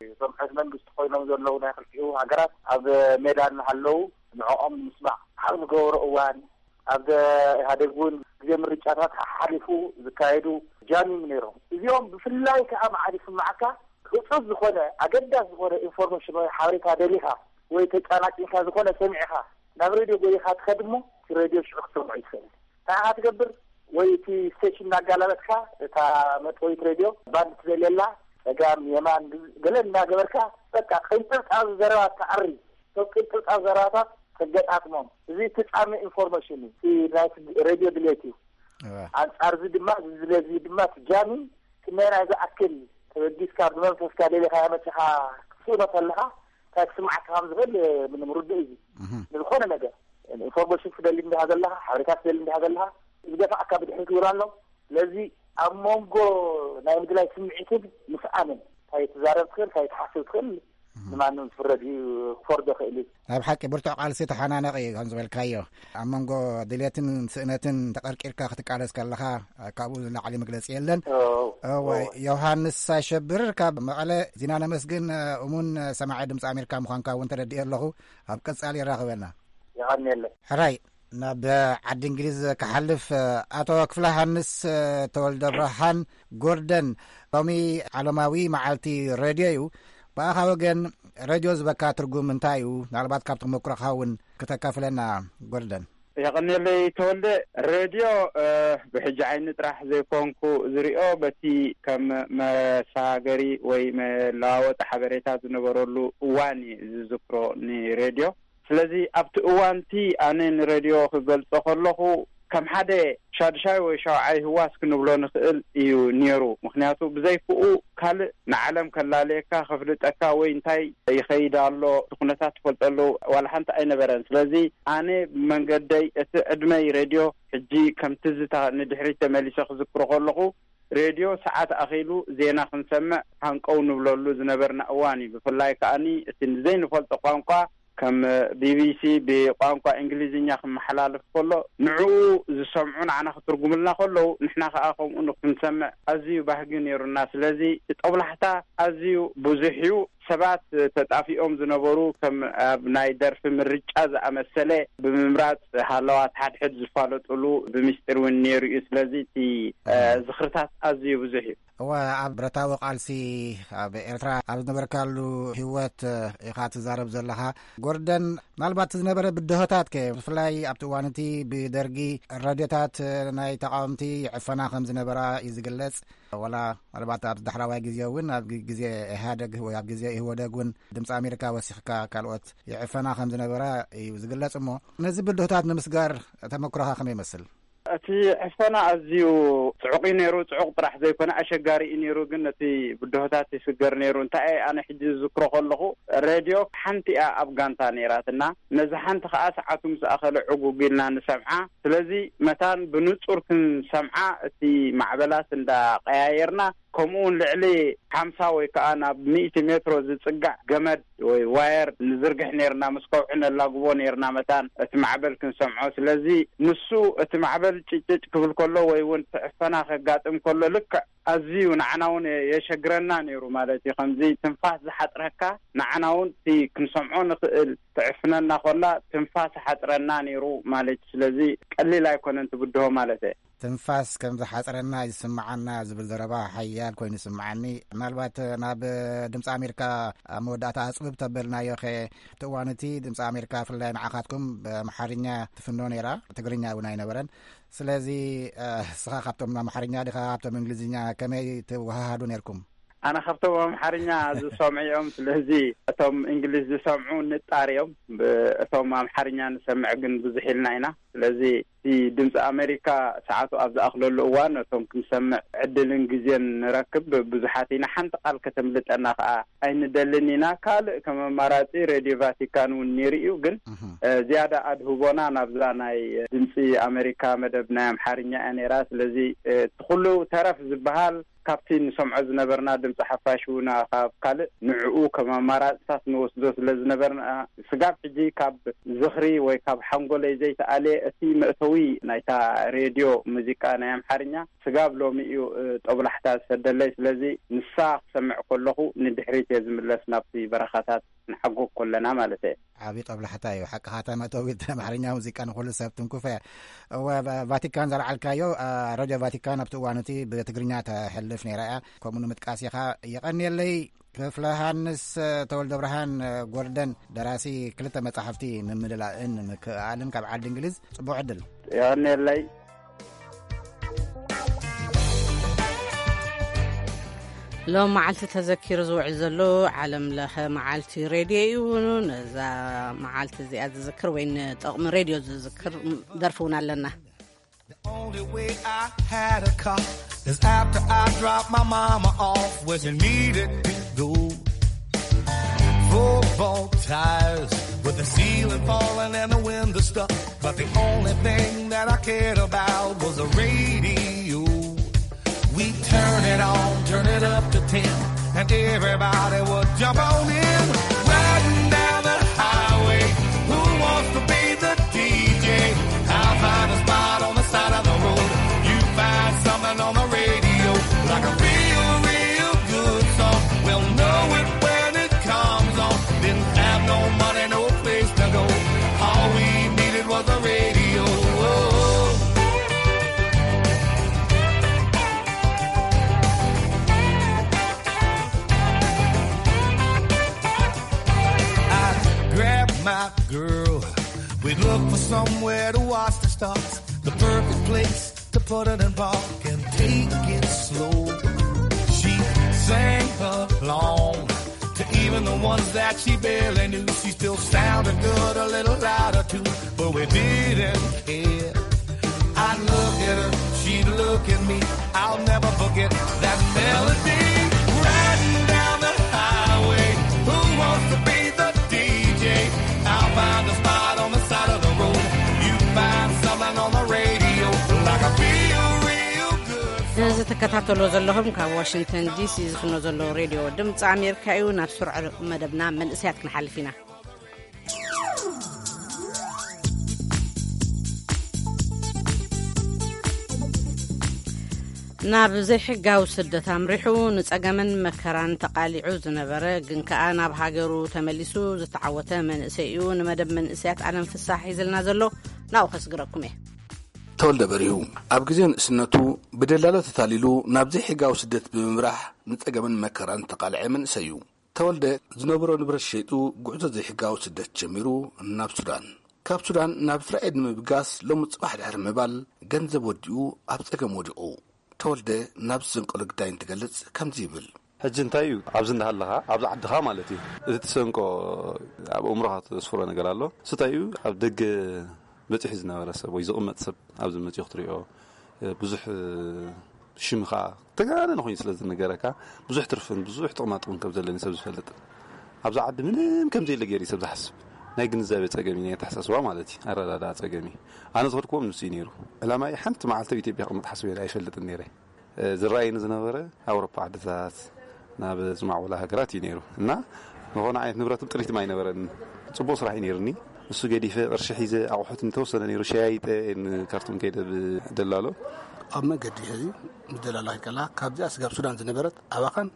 እቶም ሕዝ መንግስቲ ኮይኖም ዘለዉ ናይ ክልቲኡ ሃገራት ኣብ ሜዳ እናሃለዉ ንዕኦም ንምስማዕ ኣብ ዝገበሩ እዋን፣ ኣብ ኢህኣዴግ እውን ግዜ ምርጫታት ሓሓሊፉ ዝካየዱ ጃሚም ነይሮም። እዚኦም ብፍላይ ከዓ መዓድ ይስማዓካ ህፁፅ ዝኾነ ኣገዳሲ ዝኾነ ኢንፎርሜሽን ወይ ሓበሬታ ደሊኻ ወይ ተጫናጭንካ ዝኾነ ሰሚዕኻ ናብ ሬድዮ ጎይኻ ትኸድ እሞ እቲ ሬድዮ ሽዑ ክትሰምዖ ይትኽእል። እንታይ ኢኻ ትገብር? ወይ እቲ ስቴሽን እናጋላለጥካ እታ መጥወይት ሬድዮ ባንድ ትደልየላ ጸጋም የማን ገለ እናገበርካ በቃ ቅንጥብጣብ ዘረባ ትዓሪ። እቶም ቅንጥብጣብ ዘረባታት ተገጣጥሞም። እዚ ትጻሚ ኢንፎርሜሽን እዩ። እቲ ናይ ሬድዮ ድሌት እዩ። እወ። ኣንጻር እዚ ድማ እዚ ድሌት እዚ ድማ ትጃሚ ክመይ ናይ ዝኣክል ተበጊስካ ብመንፈስካ ደሊኻ መጺኻ ክትስእኖ ከለኻ እንታይ ክስምዓካ ከም ዝኽእል ምንም ርዱእ እዩ። እህ። ንዝኾነ ነገር ኢንፎርሜሽን ትደሊ እንዲኻ ዘለኻ፣ ሓበሬታ ትደሊ እንዲኻ ዘለኻ፣ ዝገፋዕካ ብድሕሪት እውን ኣሎ። ስለዚ ኣብ መንጎ ናይ ምድላይ ስምዒትን ምስኣንን ካይትዛረብ ትኽእል፣ ካይትሓስብ ትኽእል፣ ንማንም ዝፍረድ እዩ፣ ክፈርዶ ይኽእል እዩ። ናይ ብሓቂ ብርቱዕ ቃልሲ ተሓናነቕ እዩ ከም ዝበልካዮ። ኣብ መንጎ ድሌትን ስእነትን ተቐርቂርካ ክትቃለስ ከለኻ፣ ካብኡ ንላዕሊ መግለጺ የለን። እዎ። እዎ፣ ዮሃንስ ኣሸብር ካብ መቐለ። ዚና ነመስግን፣ እሙን ሰማዒ ድምፂ ኣሜሪካ ምዃንካ እውን ተረዲኤ ኣለኹ። ኣብ ቀጻሊ የራኽበና። የቐንየለይ። ሕራይ፣ ናብ ዓዲ እንግሊዝ ክሓልፍ፣ ኣቶ ክፍለ ሃንስ ተወልደ ብርሃን ጎርደን፣ ሎሚ ዓለማዊ መዓልቲ ሬድዮ እዩ። ብኣኻ ወገን ሬድዮ ዝበካ ትርጉም እንታይ እዩ? ምናልባት ካብ ተመክሮኻ እውን ክተካፍለና ጎርደን። የቐንየለይ ተወልደ። ሬድዮ፣ እ፣ ብሕጂ ዓይኒ ጥራሕ ዘይኮንኩ ዝሪኦ፣ በቲ ከም መሳገሪ ወይ መለዋወጢ ሓበሬታ ዝነበረሉ እዋን እዩ ዝዝክሮ ንሬድዮ። ስለዚ ኣብቲ እዋን'ቲ ኣነ ንሬድዮ ክገልጾ ከለኹ፣ ከም ሓደ ሻድሻይ ወይ ሻውዓይ ህዋስ ክንብሎ ንኽእል እዩ ነይሩ። ምኽንያቱ ብዘይክኡ ካልእ ንዓለም ከላልየካ፣ ከፍልጠካ ወይ እንታይ ይኸይድ ኣሎ፣ እቲ ኩነታት ትፈልጠሉ ዋላ ሓንቲ ኣይነበረን። ስለዚ ኣነ ብመንገደይ እቲ ዕድመይ ሬድዮ ሕጂ ከም ትዝታ ንድሕሪት ተመሊሰ ክዝክሮ ከለኹ፣ ሬድዮ ሰዓት ኣኺሉ ዜና ክንሰምዕ ሃንቀው ንብለሉ ዝነበርና እዋን እዩ። ብፍላይ ከኣኒ እቲ ዘይንፈልጦ ቋንቋ ከም ቢቢሲ ብቋንቋ እንግሊዝኛ ክመሓላለፍ ከሎ፣ ንዕኡ ዝሰምዑ ንዓና ክትርጉምልና ከለዉ፣ ንሕና ከኣ ከምኡ ክንሰምዕ ኣዝዩ ባህጊ ነይሩና። ስለዚ እቲ ጦብላሕታ ኣዝዩ ብዙሕ እዩ። ሰባት ተጣፊኦም ዝነበሩ፣ ከም ኣብ ናይ ደርፊ ምርጫ ዝኣመሰለ ብምምራጽ ሃለዋት ሓድሕድ ዝፋለጡሉ ብምስጢር እውን ነይሩ እዩ። ስለዚ እቲ፣ እ፣ ዝኽርታት ኣዝዩ ብዙሕ እዩ። እወ፣ ኣብ ብረታዊ ቃልሲ ኣብ ኤርትራ ኣብ ዝነበርካሉ ህይወት ኢኻ ትዛረብ ዘለኻ። ጎርደን፣ ምናልባት ዝነበረ ብድሆታት ከ፣ ብፍላይ ኣብቲ እዋን እቲ ብደርጊ ሬድዮታት ናይ ተቃወምቲ ይዕፈና ከም ዝነበራ እዩ ዝግለጽ። ወላ ምናልባት ኣብ ዳሕራዋይ ግዜ እውን ኣብ ግ-፣ ግዜ ኢህኣደግ ወይ ኣብ ግዜ ኢህወደግ እውን ድምፂ ኣሜሪካ ወሲኽካ ካልኦት ይዕፈና ከም ዝነበራ እዩ ዝግለጽ። እሞ ነዚ ብድሆታት ንምስጋር ተመክሮኻ ከመይ ይመስል? እቲ ዕፈና ኣዝዩ ጽዑቕ እዩ ነይሩ። ጽዑቕ ጥራሕ ዘይኮነ ኣሸጋሪ እዩ ነይሩ፣ ግን ነቲ ብድሆታት ይስገር ነይሩ። እንታይ እየ ኣነ ሕጂ ዝዝክሮ ከለኹ፣ ሬድዮ ሓንቲ እያ ኣብ ጋንታ ነይራትና። ነዚ ሓንቲ ከኣ ሰዓቱ ምስ ኣኸለ ዕጉግ ኢልና ንሰምዓ። ስለዚ መታን ብንጹር ክንሰምዓ እቲ ማዕበላት እንዳቀያየርና፣ ከምኡ እውን ልዕሊ ሓምሳ ወይ ከኣ ናብ ሚእቲ ሜትሮ ዝጽጋዕ ገመድ ወይ ዋየር ንዝርግሕ ነይርና፣ ምስ ከውሒ ነላግቦ ነይርና መታን እቲ ማዕበል ክንሰምዖ። ስለዚ ንሱ እቲ ማዕበል ጭጭጭ ክብል ከሎ ወይ እውን እቲ ዕፈና ከጋጥም ከሎ ልክዕ ኣዝዩ ንዓና እውን የሸግረና ነይሩ ማለት እዩ። ከምዚ ትንፋስ ዝሓጽረካ ንዓና እውን እቲ ክንሰምዖ ንኽእል ትዕፍነና ኮላ ትንፋስ ሓጽረና ነይሩ ማለት እዩ። ስለዚ ቀሊል ኣይኮነን ትብድሆ ማለት እየ። ትንፋስ ከም ዝሓጽረና ይስምዓና ዝብል ዘረባ ሓያል ኮይኑ ይስምዓኒ። ምናልባት ናብ ድምፂ ኣሜሪካ ኣብ መወዳእታ ኣጽብብ ተበልናዮ ኸ፣ እቲ እዋን እቲ ድምፂ ኣሜሪካ ብፍላይ ንዓኻትኩም ብኣምሓርኛ ትፍኖ ነይራ፣ ትግርኛ እውን ኣይነበረን። ስለዚ፣ እ፣ እስኻ ካብቶም ኣምሓርኛ ዲኻ ካብቶም እንግሊዝኛ ከመይ ትወሃሃዱ ነይርኩም? ኣነ ካብቶም ኣምሓርኛ ዝሰምዑ እዮም። ስለዚ እቶም እንግሊዝ ዝሰምዑ ንጣር እዮም። ብ-፣ እቶም ኣምሓርኛ ንሰምዕ ግን ብዙሕ ኢልና ኢና። ስለዚ እቲ ድምፂ ኣሜሪካ ሰዓቱ ኣብ ዝኣኽለሉ እዋን እቶም ክንሰምዕ ዕድልን ግዜን ንረክብ ብዙሓት ኢና። ሓንቲ ቃል ከተምልጠና ከዓ ኣይንደልን ኢና። ካልእ ከም ኣማራፂ ሬድዮ ቫቲካን እውን ነይሩ እዩ። ግን፣ እህ። እ፣ ዝያዳ ኣድህቦና ናብዛ ናይ ድምፂ ኣሜሪካ መደብ ናይ ኣምሓርኛ እያ ነይራ። ስለዚ፣ እ፣ እቲ ኩሉ ተረፍ ዝበሃል ካብቲ ንሰምዖ ዝነበርና ድምፂ ሓፋሽ እውን ካብ ካልእ ንዕኡ ከም ኣማራፅታት ንወስዶ ስለ ዝነበርና፣ ስጋብ ሕጂ ካብ ዝኽሪ ወይ ካብ ሓንጎለይ ዘይተኣልየ እቲ መእተዊ ናይታ ሬድዮ ሙዚቃ ናይ ኣምሓርኛ ስጋብ ሎሚ እዩ፣ እ፣ ጦብላሕታ ዝሰደለይ። ስለዚ ንሳ ክሰምዕ ከለኹ ንድሕሪት እየ ዝምለስ፣ ናብቲ በረኻታት ንሓጎግ ከለና ማለት እየ። ዓቢ ጦብላሕታ እዩ። ሓቅኻ፣ እታ መእተዊት ኣምሓርኛ ሙዚቃ ንኹሉ ሰብ ትንኩፍ እያ። እወ፣ ቫ-፣ ቫቲካን ዘልዓልካዮ፣ እ፣ ሬድዮ ቫቲካን ኣብቲ እዋን እቲ ብትግርኛ ተሕልፍ ነይራ እያ። ከምኡ ንምጥቃስ ኢኻ። የቐንየለይ። ክፍለ ሃንስ ተወልደ ብርሃን ጎርደን፣ ደራሲ ክልተ መጻሕፍቲ ምምልላእን ምክእኣልን ካብ ዓዲ እንግሊዝ፣ ጽቡቕ ዕድል። የቐንየለይ። ሎም መዓልቲ ተዘኪሩ ዝውዕል ዘሎ ዓለም ለኸ መዓልቲ ሬድዮ እዩ። ነዛ መዓልቲ እዚኣ ዝዝክር ወይ ንጠቕሚ ሬድዮ ዝዝክር ደርፊ እውን ኣለና። The only way I had a car is after I dropped my mama off where she needed to go. Football tires with the ceiling falling and the window stuck. But the only thing that I cared about was the radio. We turn it on, turn it up to ten. Everybody would jump on in, riding down the highway. Who wants to be the D J? I'll find a spot on the side of the road. You find something on the radio, like a real, real good song. We'll know it when it comes on. Didn't have no money, no place to go. All we needed was a radio. I'd grab my girl. We'd look for somewhere to watch the stars. The perfect place to put it in park and take it slow. She sang along to even the ones that she barely knew. She still sounded good, a little louder too, but we didn't care. I'd look at her, she'd look at me. I'll never forget that melody. Riding down the highway, who wants to be the D J? I'll find a spot on the side of the road. You find something on the radio, like a real, real good song. እዚ ትከታተሎ ዘለኹም ካብ ዋሽንግተን ዲሲ ዝፍኖ ዘሎ ሬድዮ ድምፂ ኣሜሪካ እዩ። ናብ ስሩዕ መደብና መንእሰያት ክንሓልፍ ኢና። ናብ ዘይሕጋዊ ስደት ኣምሪሑ ንጸገምን መከራን ተቓሊዑ ዝነበረ ግን ከኣ ናብ ሃገሩ ተመሊሱ ዝተዓወተ መንእሰይ እዩ። ንመደብ መንእሰያት ኣለም ፍሳሕ ሒዝልና ዘሎ ናብኡ ከስግረኩም እየ። ተወልደ በሪሁ ኣብ ግዜ ንእስነቱ ብደላሎ ተታሊሉ ናብ ዘይሕጋዊ ስደት ብምምራሕ ንጸገምን መከራን ተቓልዐ መንእሰይ እዩ። ተወልደ ዝነበሮ ንብረት ሸይጡ ጉዕዞ ዘይሕጋዊ ስደት ጀሚሩ ናብ ሱዳን፣ ካብ ሱዳን ናብ እስራኤል ንምብጋስ ሎሚ ጽባሕ ድሕሪ ምባል ገንዘብ ወዲኡ ኣብ ጸገም ወዲቑ። ተወልደ ናብ ዝዘንቀሎ ግዳይ እንትገልጽ ከምዚ ይብል። ሕጂ እንታይ እዩ ኣብዚ እንዳሃለኻ ኣብዚ ዓድኻ ማለት እዩ፣ እቲ ትሰንቆ ኣብ ኣእምሮኻ ተስፍሮ ነገር ኣሎ። እሱ እንታይ እዩ ኣብ ደገ በጺሑ ዝነበረ ሰብ ወይ ዝቕመጥ ሰብ ኣብዚ መጺኡ ክትሪኦ ብዙሕ ሽም ኸዓ ተጋነነ ኮይኑ ስለ ዝነገረካ ብዙሕ ትርፍን ብዙሕ ጥቕማ ጥቕምን ከም ዘለኒ ሰብ ዝፈልጥ፣ ኣብዚ ዓዲ ምንም ከም ዘየለ ገይሩ ሰብ ዝሓስብ ናይ ግንዛቤ ጸገም እዩ፣ ናይ ኣተሓሳስባ ማለት እዩ፣ ኣረዳድኣ ጸገም እዩ። ኣነ ዝኸድክዎም ንሱ እዩ ነይሩ። ዕላማይ ሓንቲ መዓልቲ ኣብ ኢትዮጵያ ክቕመጥ ሓስበ ኣይፈልጥን ነይረ። ዝረኣየኒ ዝነበረ ኣውሮፓ ዓድታት ናብ ዝማዕበላ ሃገራት እዩ ነይሩ እና ዝኾነ ዓይነት ንብረትን ጥሪትም ኣይነበረን። ጽቡቕ ስራሕ እዩ ነይሩኒ። እሱ ገዲፈ ቅርሺ ሒዘ ኣቑሑት እንተወሰነ ነይሩ ሸያይጠ ንካርቱም ከይደ ብደላሎ ኣብ መገዲ ሕዚ ምስ ደላላ ከላ ካብዚኣ ስጋብ ሱዳን ዝነበረት ኣባኻን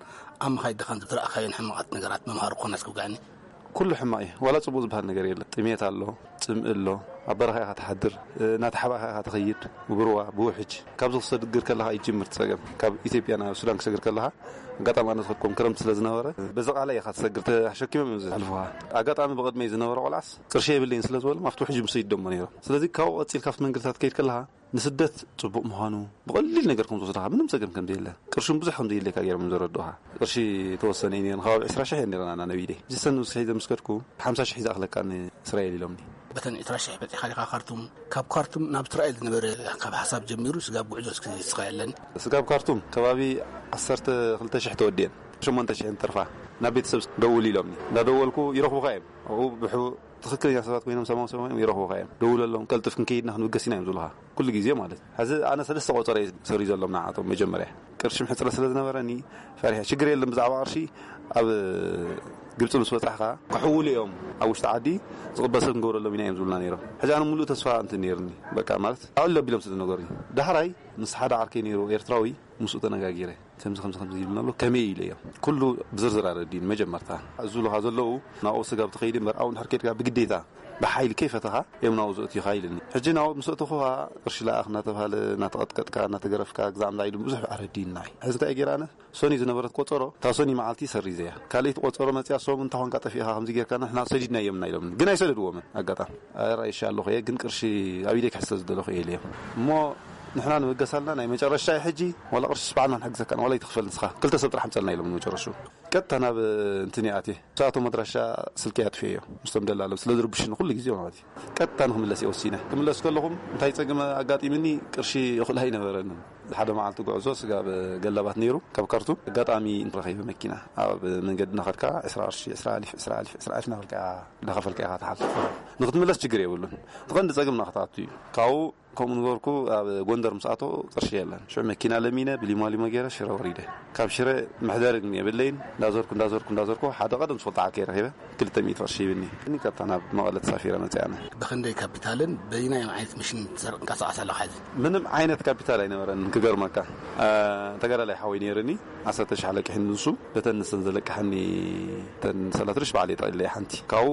ኣብ መኻይድ ድኻን ዝረኣኻዮን ሕማቓት ነገራት መምሃሪ ክኾና ዝክውጋዕኒ። ኩሉ ሕማቕ እዩ። ዋላ ጽቡቕ ዝበሃል ነገር የለን። ጥሜት ኣሎ፣ ጽምኢ ኣሎ፣ ኣብ በረኻ ኢኻ ትሓድር፣ እናተሓባእኻ ኢኻ ትኸይድ፣ ብሩባ፣ ብውሕጅ። ካብዚ ክሰግር ከለኻ ይጅምር እቲ ጸገም። ካብ ኢትዮጵያ ናብ ሱዳን ክሰግር ከለኻ ኣጋጣሚ ኣነ ዝኸድኩም ክረምቲ ስለ ዝነበረ በዚ ቃላይ ኢኻ ትሰግር፣ ተሸኪሞም እዮም ዘሕልፉኻ። ኣጋጣሚ ብቕድመይ ዝነበረ ቆልዓስ ቅርሺ የብለይን ስለ ዝበሎም ኣብቲ ውሕጅ ምስ ይደሞ ነይሮም። ስለዚ ካብኡ ቀጺልካ ኣብቲ መንገድታት ከይድ ከለኻ ንስደት ጽቡቕ ምዃኑ ብቐሊል ነገር ከም ዝወስድኻ ምንም ጸገም ከም ዘየለ ቅርሽን ብዙሕ ከም ዘየድልየካ ገይሮም እዮም ዘረድኡኻ። ቅርሺ ተወሰነ እዩ ነይሩ፣ ከባቢ ዕስራ ሽሕ እየን ነይረን ኣና ነቢደይ። እዚ ሰን ውስሒ ዘምስከድኩ ሓምሳ ሽሕ እዩ ዝኣኽለካ ንእስራኤል ኢሎምኒ። በተን ዕስራ ሽሕ በጺኻ ዲኻ ካርቱም? ካብ ካርቱም ናብ እስራኤል ዝነበረ ካብ ሓሳብ ጀሚሩ ስጋብ ጉዕዞ እስኪ ንስኻ የለን። ስጋብ ካርቱም ከባቢ ዓሰርተ ክልተ ሽሕ ተወዲአን ሸሞንተ ሽሕ እንትርፋ ናብ ቤተሰብ ደውል ኢሎምኒ። እንዳደወልኩ ይረኽቡኻ እዮም። ኣብኡ ብሑ ትኽክለኛ ሰባት ኮይኖም ሰማም ሰማም እዮም ይረኽቡኻ እዮም። ደውለሎም፣ ቀልጥፍ ክንከይድና ክንብገስ ኢና እዮም ዝብሉኻ። ኩሉ ግዜ ማለት። ሕዚ ኣነ ሰለስተ ቆጸረ እዩ ሰሪዘሎም ንዓቶም መጀመርያ። ቅርሺ ሕጽረት ስለ ዝነበረኒ ፈሪሐ። ሽግር የለን ብዛዕባ ቅርሺ ኣብ ግብጺ ምስ በጻሕካ ክሕውሉ እዮም ኣብ ውሽጢ ዓዲ ዝቕበል ሰብ ክንገብረሎም ኢና እዮም ዝብሉና ነይሮም። ሕዚ ኣነ ሙሉእ ተስፋ እንትን ነይርኒ። በቃ ማለት ኣዕሎ ኣቢሎም ስለ ዝነገሩኒ። ዳሕራይ ምስ ሓደ ዓርከይ ነይሩ ኤርትራዊ ምስኡ ተነጋጊረ። ከምዚ ከምዚ ከምዚ ይብልና ኣሎ ከመይ ኢለ እዮም ኩሉ ብዝርዝር ኣረዲን መጀመርታ ዝብሉኻ ዘለዉ ናብኡ ስጋብ ትኸይድ እምበር ኣብኡ እንድሕር ከይድካ ብግዴታ ብሓይሊ ከይፈተኻ እዮም ናብኡ ዘእትዩኻ ኢልኒ። ሕጂ ናብኡ ምስ ኣእተኹኻ ቅርሺ ለኣኽ እናተባሃለ እናተቐጥቀጥካ እናተገረፍካ ግዛዕ ምዛ ኢሉ ብዙሕ ኣረዲንና እዩ። ሕዚ እንታይ ገይረ ኣነ ሶኒ ዝነበረት ቆጸሮ እታ ሶኒ መዓልቲ ሰሪዘያ ካልኣይቲ ቆጸሮ መፅያ ሶም እንታይ ኾንካ ጠፊእኻ ከምዚ ጌርካ ንሕና ሰዲድና እዮም እና ኢሎምኒ ግን ኣይሰደድዎምን ኣጋጣሚ ኣራይሻ ኣለኹ እየ ግን ቅርሺ ኣብ ኢደይ ክሕዝ ስለ ዝደለኹ እየ ኢለዮም እሞ ንሕና ንብገሳልና ናይ መጨረሻ እዩ ሕጂ ዋላ ቅርሺ ስብዓና ንሕግዘካ ዋላ ይትኽፈል ንስኻ ክልተ ሰብ ጥራሕ ምፀልና ኢሎም መጨረሹ ቀጥታ ናብ እንትን ይኣትየ ንሳቶም ኣድራሻ ስልኪ ኣጥፍዮ ምስቶም ደላለው ስለ ዝርብሽኒ ኩሉ ግዜ ማለት እዩ ቀጥታ ንክምለስ እየ ወሲነ ክምለስ ከለኹም እንታይ ፀገም ኣጋጢምኒ ቅርሺ እኹል ኣይነበረንን ሓደ መዓልቲ ጉዕዞ ስጋብ ገላባት ነይሩ ካብ ካርቱም ኣጋጣሚ ረኺበ መኪና ኣብ መንገዲ እናኸድካ ዕስራ ቅርሺ ዕስራ ኣሊፍ ዕስራ ኣሊፍ ዕስራ ኣሊፍ እናበልካ እናኸፈልካ ኢኻ ትሓልፍ ንክትምለስ ችግር የብሉን እቲ ቀንዲ ፀገም ናክትኣቱ እዩ ካብኡ ከምኡ ንገርኩ ኣብ ጎንደር ምስ ኣቶ ቅርሺ የለን። ሽዑ መኪና ለሚነ ብሊማሊሞ ገይረ ሽረ ወሪደ። ካብ ሽረ መሕደሪ ግን የብለይን። እንዳዞርኩ እንዳዞርኩ እንዳዞርኩ ሓደ ቀደም ዝፈልጦ ዓርከይ ረኺበ። ክልተ ሚእቲ ቅርሺ ይብኒ እኒ ቀጥታ ናብ መቐለ ተሳፊረ መፅእ ኣነ። ብክንደይ ካፒታልን በይናይ ዓይነት ምሽን ትንቀሳቐስ ኣለኻ ሕዚ? ምንም ዓይነት ካፒታል ኣይነበረን ክገርመካ። ተጋዳላይ ሓወይ ነይርኒ። ዓሰርተ ሺሕ ኣለቅሒኒ ንሱ። በተን ንሰን ዘለቅሓኒ ተን ሰላትርሽ ባዕለ ጠቅለ ሓንቲ ካብኡ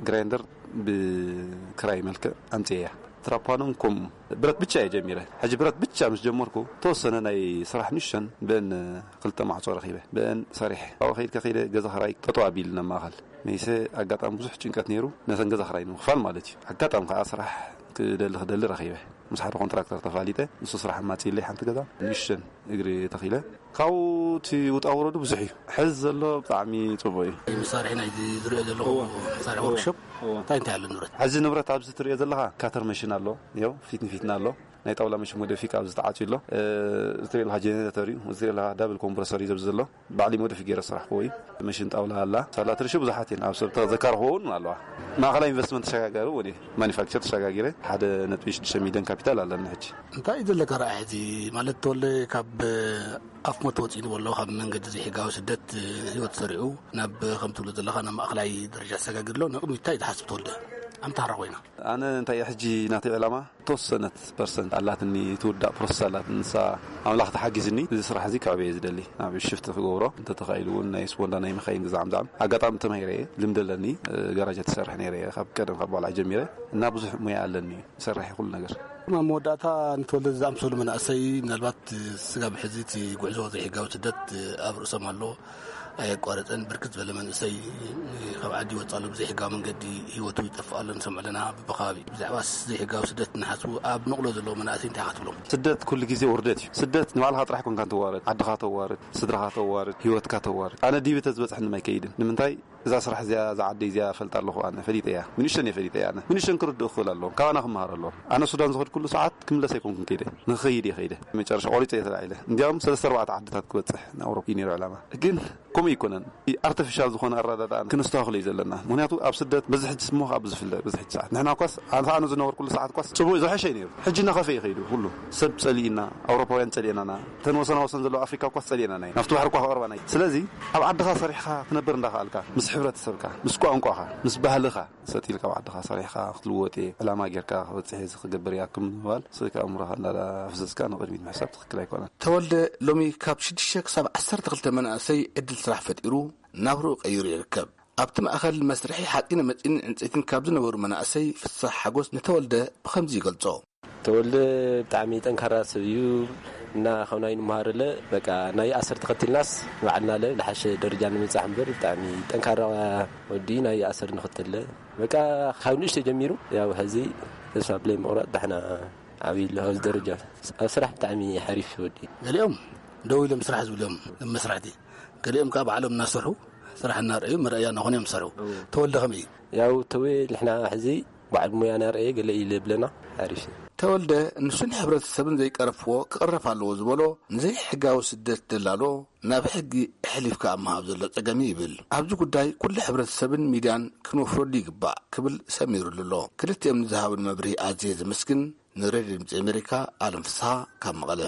ግራይንደር ብክራይ መልክዕ ኣምፅኤያ። ትራፓኖን ኮም ብረት ብቻ እየ ጀሚረ። ሕጂ ብረት ብቻ ምስ ጀመርኩ ተወሰነ ናይ ስራሕ ንሸን ብአን ክልተ ማዕፆ ረኺበ። ብአን ሰሪሐ ኣብኡ ከይድ ከኸይደ ገዛ ክራይ ጠጠው ኣቢልና ማእኸል መይሰ ኣጋጣሚ ብዙሕ ጭንቀት ነይሩ። ነተን ገዛ ክራይ ንምኽፋል ማለት እዩ። ኣጋጣሚ ከዓ ስራሕ ክደሊ ክደሊ ረኺበ። ምስ ሓደ ኮንትራክተር ተፋሊጠ። ንሱ ስራሕ ኣማፂእለይ ሓንቲ ገዛ ንእሽተን እግሪ ተኺለ። ካብኡ እቲ ውጣ ውረዱ ብዙሕ እዩ። ሕዚ ዘሎ ብጣዕሚ ፅቡቅ እዩ። መሳርሒ ናይዚ ዝሪኦ ዘለኹ መሳርሒ ወርክሾፕ እንታይ እንታይ ኣሎ ንብረት? ሕዚ ንብረት ኣብዚ ትሪኦ ዘለኻ ካተር መሽን ኣሎ። ያው ፊት ንፊትና ኣሎ። ናይ ጣውላ መሽን ሞደፊክ ኣብዚ ተዓፅዩ ኣሎ። እዚ ትሪኦ ዘለኻ ጀኔሬተር እዩ። እዚ ትሪኦ ዘለኻ ዳብል ኮምፕረሰር እዩ ዘብዚ ዘሎ። ባዕሊ ሞደፊክ ገይረ ስራሕ ክወይ መሽን ጣውላ ኣላ። ሳላት ርሺ ብዙሓት እየን ኣብ ሰብ ተዘካርክዎ እውን ኣለዋ። ማእኸላይ ኢንቨስትመንት ተሸጋጋሪ እውን እየ። ማኒፋክቸር ተሸጋጊረ ሓደ ነጥቢ ሽዱሽተ ሚሊዮን ካፒታል ኣለኒ ሕጂ። እንታይ እዩ ዘለካ ረኣይ ሕጂ? ማለት ተወልደ ካብ ኣፍ ሞት ወፂኡ ንበሎ ካብ መንገዲ ዘይሕጋዊ ስደት ህይወት ሰሪዑ ናብ ከም ትብሎ ዘለካ ናብ ማእኸላይ ደረጃ ተሰጋጊር ኣሎ። ንቕድሚት እንታይ ትሓስብ ተወልደ? ኣምታራ ኮይና ኣነ እንታይ እየ ሕጂ ናተይ ዕላማ ተወሰነት ፐርሰንት ኣላትኒ ትውዳእ ፕሮሰስ ኣላትኒ ንሳ ኣምላኽ ተሓጊዝኒ እዚ ስራሕ እዚ ክዕበየ ዝደሊ ናብ ሽፍቲ ክገብሮ እንተተኻኢሉ እውን ናይ ስፖንዳ ናይ መኻይን ግዛዕም ዛዕም ኣጋጣሚ ተማሂረ እየ ልምዲ ኣለኒ። ገራጃ ትሰርሕ ነይረ እየ ካብ ቀደም ካብ ባልዓ ጀሚረ እና ብዙሕ ሙያ ኣለኒ። ይሰርሕ ኩሉ ነገር። ኣብ መወዳእታ ንተወልደ ዝኣምሰሉ መናእሰይ ምናልባት ስጋብ ሕዚ እቲ ጉዕዞ ዘይሕጋዊ ስደት ኣብ ርእሶም ኣሎ። ኣየቋረፀን ብርክት ዝበለ መንእሰይ ካብ ዓዲ ይወፅእ ኣሎ። ብዘይሕጋዊ መንገዲ ህይወቱ ይጠፍእ ኣሎ። ንሰምዖ ኣለና ብብኸባቢ ብዛዕባ ዘይሕጋዊ ስደት እናሓስቡ ኣብ ነቕሎ ዘለዉ መናእሰይ እንታይ ክትብሎም? ስደት ኩሉ ግዜ ውርደት እዩ። ስደት ንባዕልኻ ጥራሕ ኮንካ ትዋረድ፣ ዓድኻ ተዋርድ፣ ስድራኻ ተዋርድ፣ ህይወትካ ተዋርድ። ኣነ ዲቢ ተዝበፅሐኒ ኣይከይድን። ንምንታይ እዛ ስራሕ እዚኣ እዛ ዓደይ እዚኣ ፈልጣ ኣለኹ። ኣነ ፈሊጠ እያ። ምንሽን እየ ፈሊጠ እያ። ኣነ ምንሽን ክርድኡ ክኽእል ኣለዎም። ካባና ክመሃር ኣለዎም። ኣነ ሱዳን ዝኸድ ኩሉ ሰዓት ክምለስ ኣይኮንኩን ከይደ። ንኽኸይድ እየ ከይደ። መጨረሻ ቆሪፀ እየ ተላዒለ። እንዲያውም ሰለስተ ኣርባዕተ ዓድታት ክበፅሕ ንኣውሮፓ እዩ ነይሩ ዕላማ። ግን ከምኡ ኣይኮነን። ኣርቲፊሻል ዝኾነ ኣረዳድኣ ክነስተኻኽሎ እዩ ዘለና። ምክንያቱ ኣብ ስደት በዚ ሕጂ ስሞ ካብ ዝፍለ በዚ ሕጂ ሰዓት ንሕና ኳስ ኣንተ ኣነ ዝነበርኩሉ ሰዓት ኳስ ፅቡቅ ዝሐሸ እዩ ነይሩ። ሕጂ እናኸፈ እዩ ከይዱ። ኩሉ ሰብ ጸሊእና፣ ኣውሮፓውያን ጸሊእናና፣ እተን ወሰና ወሰን ዘለዋ ኣፍሪካ ኳስ ጸሊእናና እዩ። ናብቲ ባሕሪ እኳ ክቐርባና እዩ። ስለዚ ኣብ ዓድኻ ሰሪሕኻ ክትነብር እንዳኸኣልካ ምስ ሕብረተሰብካ ምስ ቋንቋኻ ምስ ባህልኻ ሰጥ ኢልካ ኣብ ዓድኻ ሰሪሕካ ክትልወጥ እየ ዕላማ ጌርካ ክበፅሕ እየ ክገብር እያ ክምባል ስእካ ኣእምሮኻ እንዳፈሰስካ ንቕድሚት ምሕሳብ ትኽክል ኣይኮነን። ተወልደ ሎሚ ካብ ሽዱሽተ ክሳብ ዓሰርተ ክልተ መናእሰይ ዕድል ስራሕ ፈጢሩ ናብርኡ ቀይሩ ይርከብ። ኣብቲ ማእኸል መስርሒ ሓፂነ መፂንን ዕንፀይትን ካብ ዝነበሩ መናእሰይ ፍሳሕ ሓጎስ ንተወልደ ብኸምዚ ይገልፆ። ተወልደ ብጣዕሚ ጠንካራ ሰብ እዩ እና ካብ ናይ ንምሃረለ በቃ ናይ ኣሰር ተኸትልናስ ንባዕልና ለ ዝሓሸ ደረጃ ንምብፃሕ እምበር ብጣዕሚ ጠንካራ ወዲ ናይ ኣሰር ንኽተለ በቃ ካብ ንእሽተ ጀሚሩ ያው ሕዚ ተስፋ ብለይ ምቑራፅ ዳሕና ዓብይ ኣሎ ኣብዚ ደረጃ ኣብ ስራሕ ብጣዕሚ ሓሪፍ ወዲ። ገሊኦም ደው ኢሎም ስራሕ ዝብሎም መስራሕቲ፣ ገሊኦም ከዓ ባዕሎም እናሰርሑ ስራሕ እናረኣዩ መረኣያ እናኾኑ እዮም ዝሰርሑ። ተወልደ ከመይ እዩ? ያው ተወ ንሕና ሕዚ በዓል ሙያ ናርኤ ገለ ኢለ ብለና ሓሪፍ እዩ። ተወልደ ንሱን ሕብረተሰብን ዘይቀረፍዎ ክቕረፍ ኣለዎ ዝበሎ ንዘይሕጋዊ ስደት ደላሎ ናብ ሕጊ ኣሕሊፍካ ኣብ ምሃብ ዘሎ ጸገም እዩ ይብል። ኣብዚ ጉዳይ ኩሉ ሕብረተሰብን ሚድያን ክንወፍረሉ ይግባእ ክብል ሰሚሩሉ ኣሎ። ክልቲኦም ንዝሃቡን መብርሂ ኣዝየ ዘመስግን። ንሬድዮ ድምፂ ኣሜሪካ ኣለም ፍስሃ ካብ መቐለ።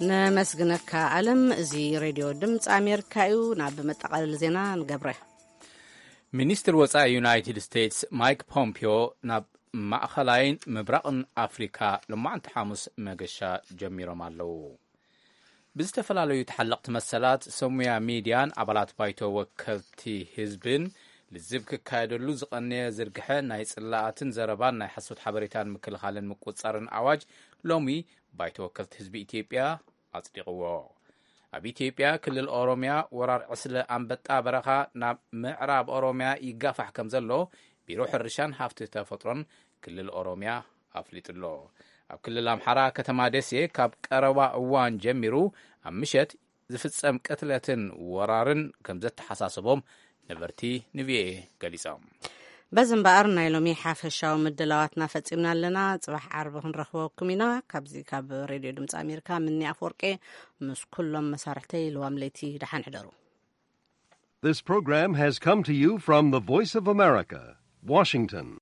ነመስግነካ ኣለም። እዚ ሬድዮ ድምፂ ኣሜሪካ እዩ። ናብ መጠቓለሊ ዜና ንገብረ። ሚኒስትር ወፃኢ ዩናይትድ ስቴትስ ማይክ ፖምፒዮ ናብ ማእኸላይን ምብራቕን ኣፍሪካ ሎማዕንቲ ሓሙስ መገሻ ጀሚሮም ኣለዉ። ብዝተፈላለዩ ተሓለቕቲ መሰላት ሰሙያ ሚድያን ኣባላት ባይቶ ወከልቲ ህዝብን ልዝብ ክካየደሉ ዝቐነየ ዝርግሐ ናይ ጽላኣትን ዘረባን ናይ ሓሶት ሓበሬታን ምክልኻልን ምቁጽጻርን ኣዋጅ ሎሚ ባይቶ ወከልቲ ህዝቢ ኢትዮጵያ ኣጽዲቕዎ። ኣብ ኢትዮጵያ ክልል ኦሮሚያ ወራር ዕስለ ኣንበጣ በረኻ ናብ ምዕራብ ኦሮሚያ ይጋፋሕ ከም ዘሎ ቢሮ ሕርሻን ሃፍቲ ተፈጥሮን ክልል ኦሮሚያ ኣፍሊጡ ኣሎ። ኣብ ክልል ኣምሓራ ከተማ ደሴ ካብ ቀረባ እዋን ጀሚሩ ኣብ ምሸት ዝፍጸም ቅትለትን ወራርን ከም ዘተሓሳሰቦም ነበርቲ ንቪኦኤ ገሊጾም። በዚ እምበኣር ናይ ሎሚ ሓፈሻዊ ምድላዋትና ፈጺምና ኣለና። ጽባሕ ዓርቢ ክንረኽበኩም ኢና። ካብዚ ካብ ሬድዮ ድምፂ ኣሜሪካ ምኒ ኣፍወርቄ ምስ ኩሎም መሳርሕተይ ልዋም ለይቲ ደሓን ሕደሩ። This program has come to you from the Voice of America, Washington.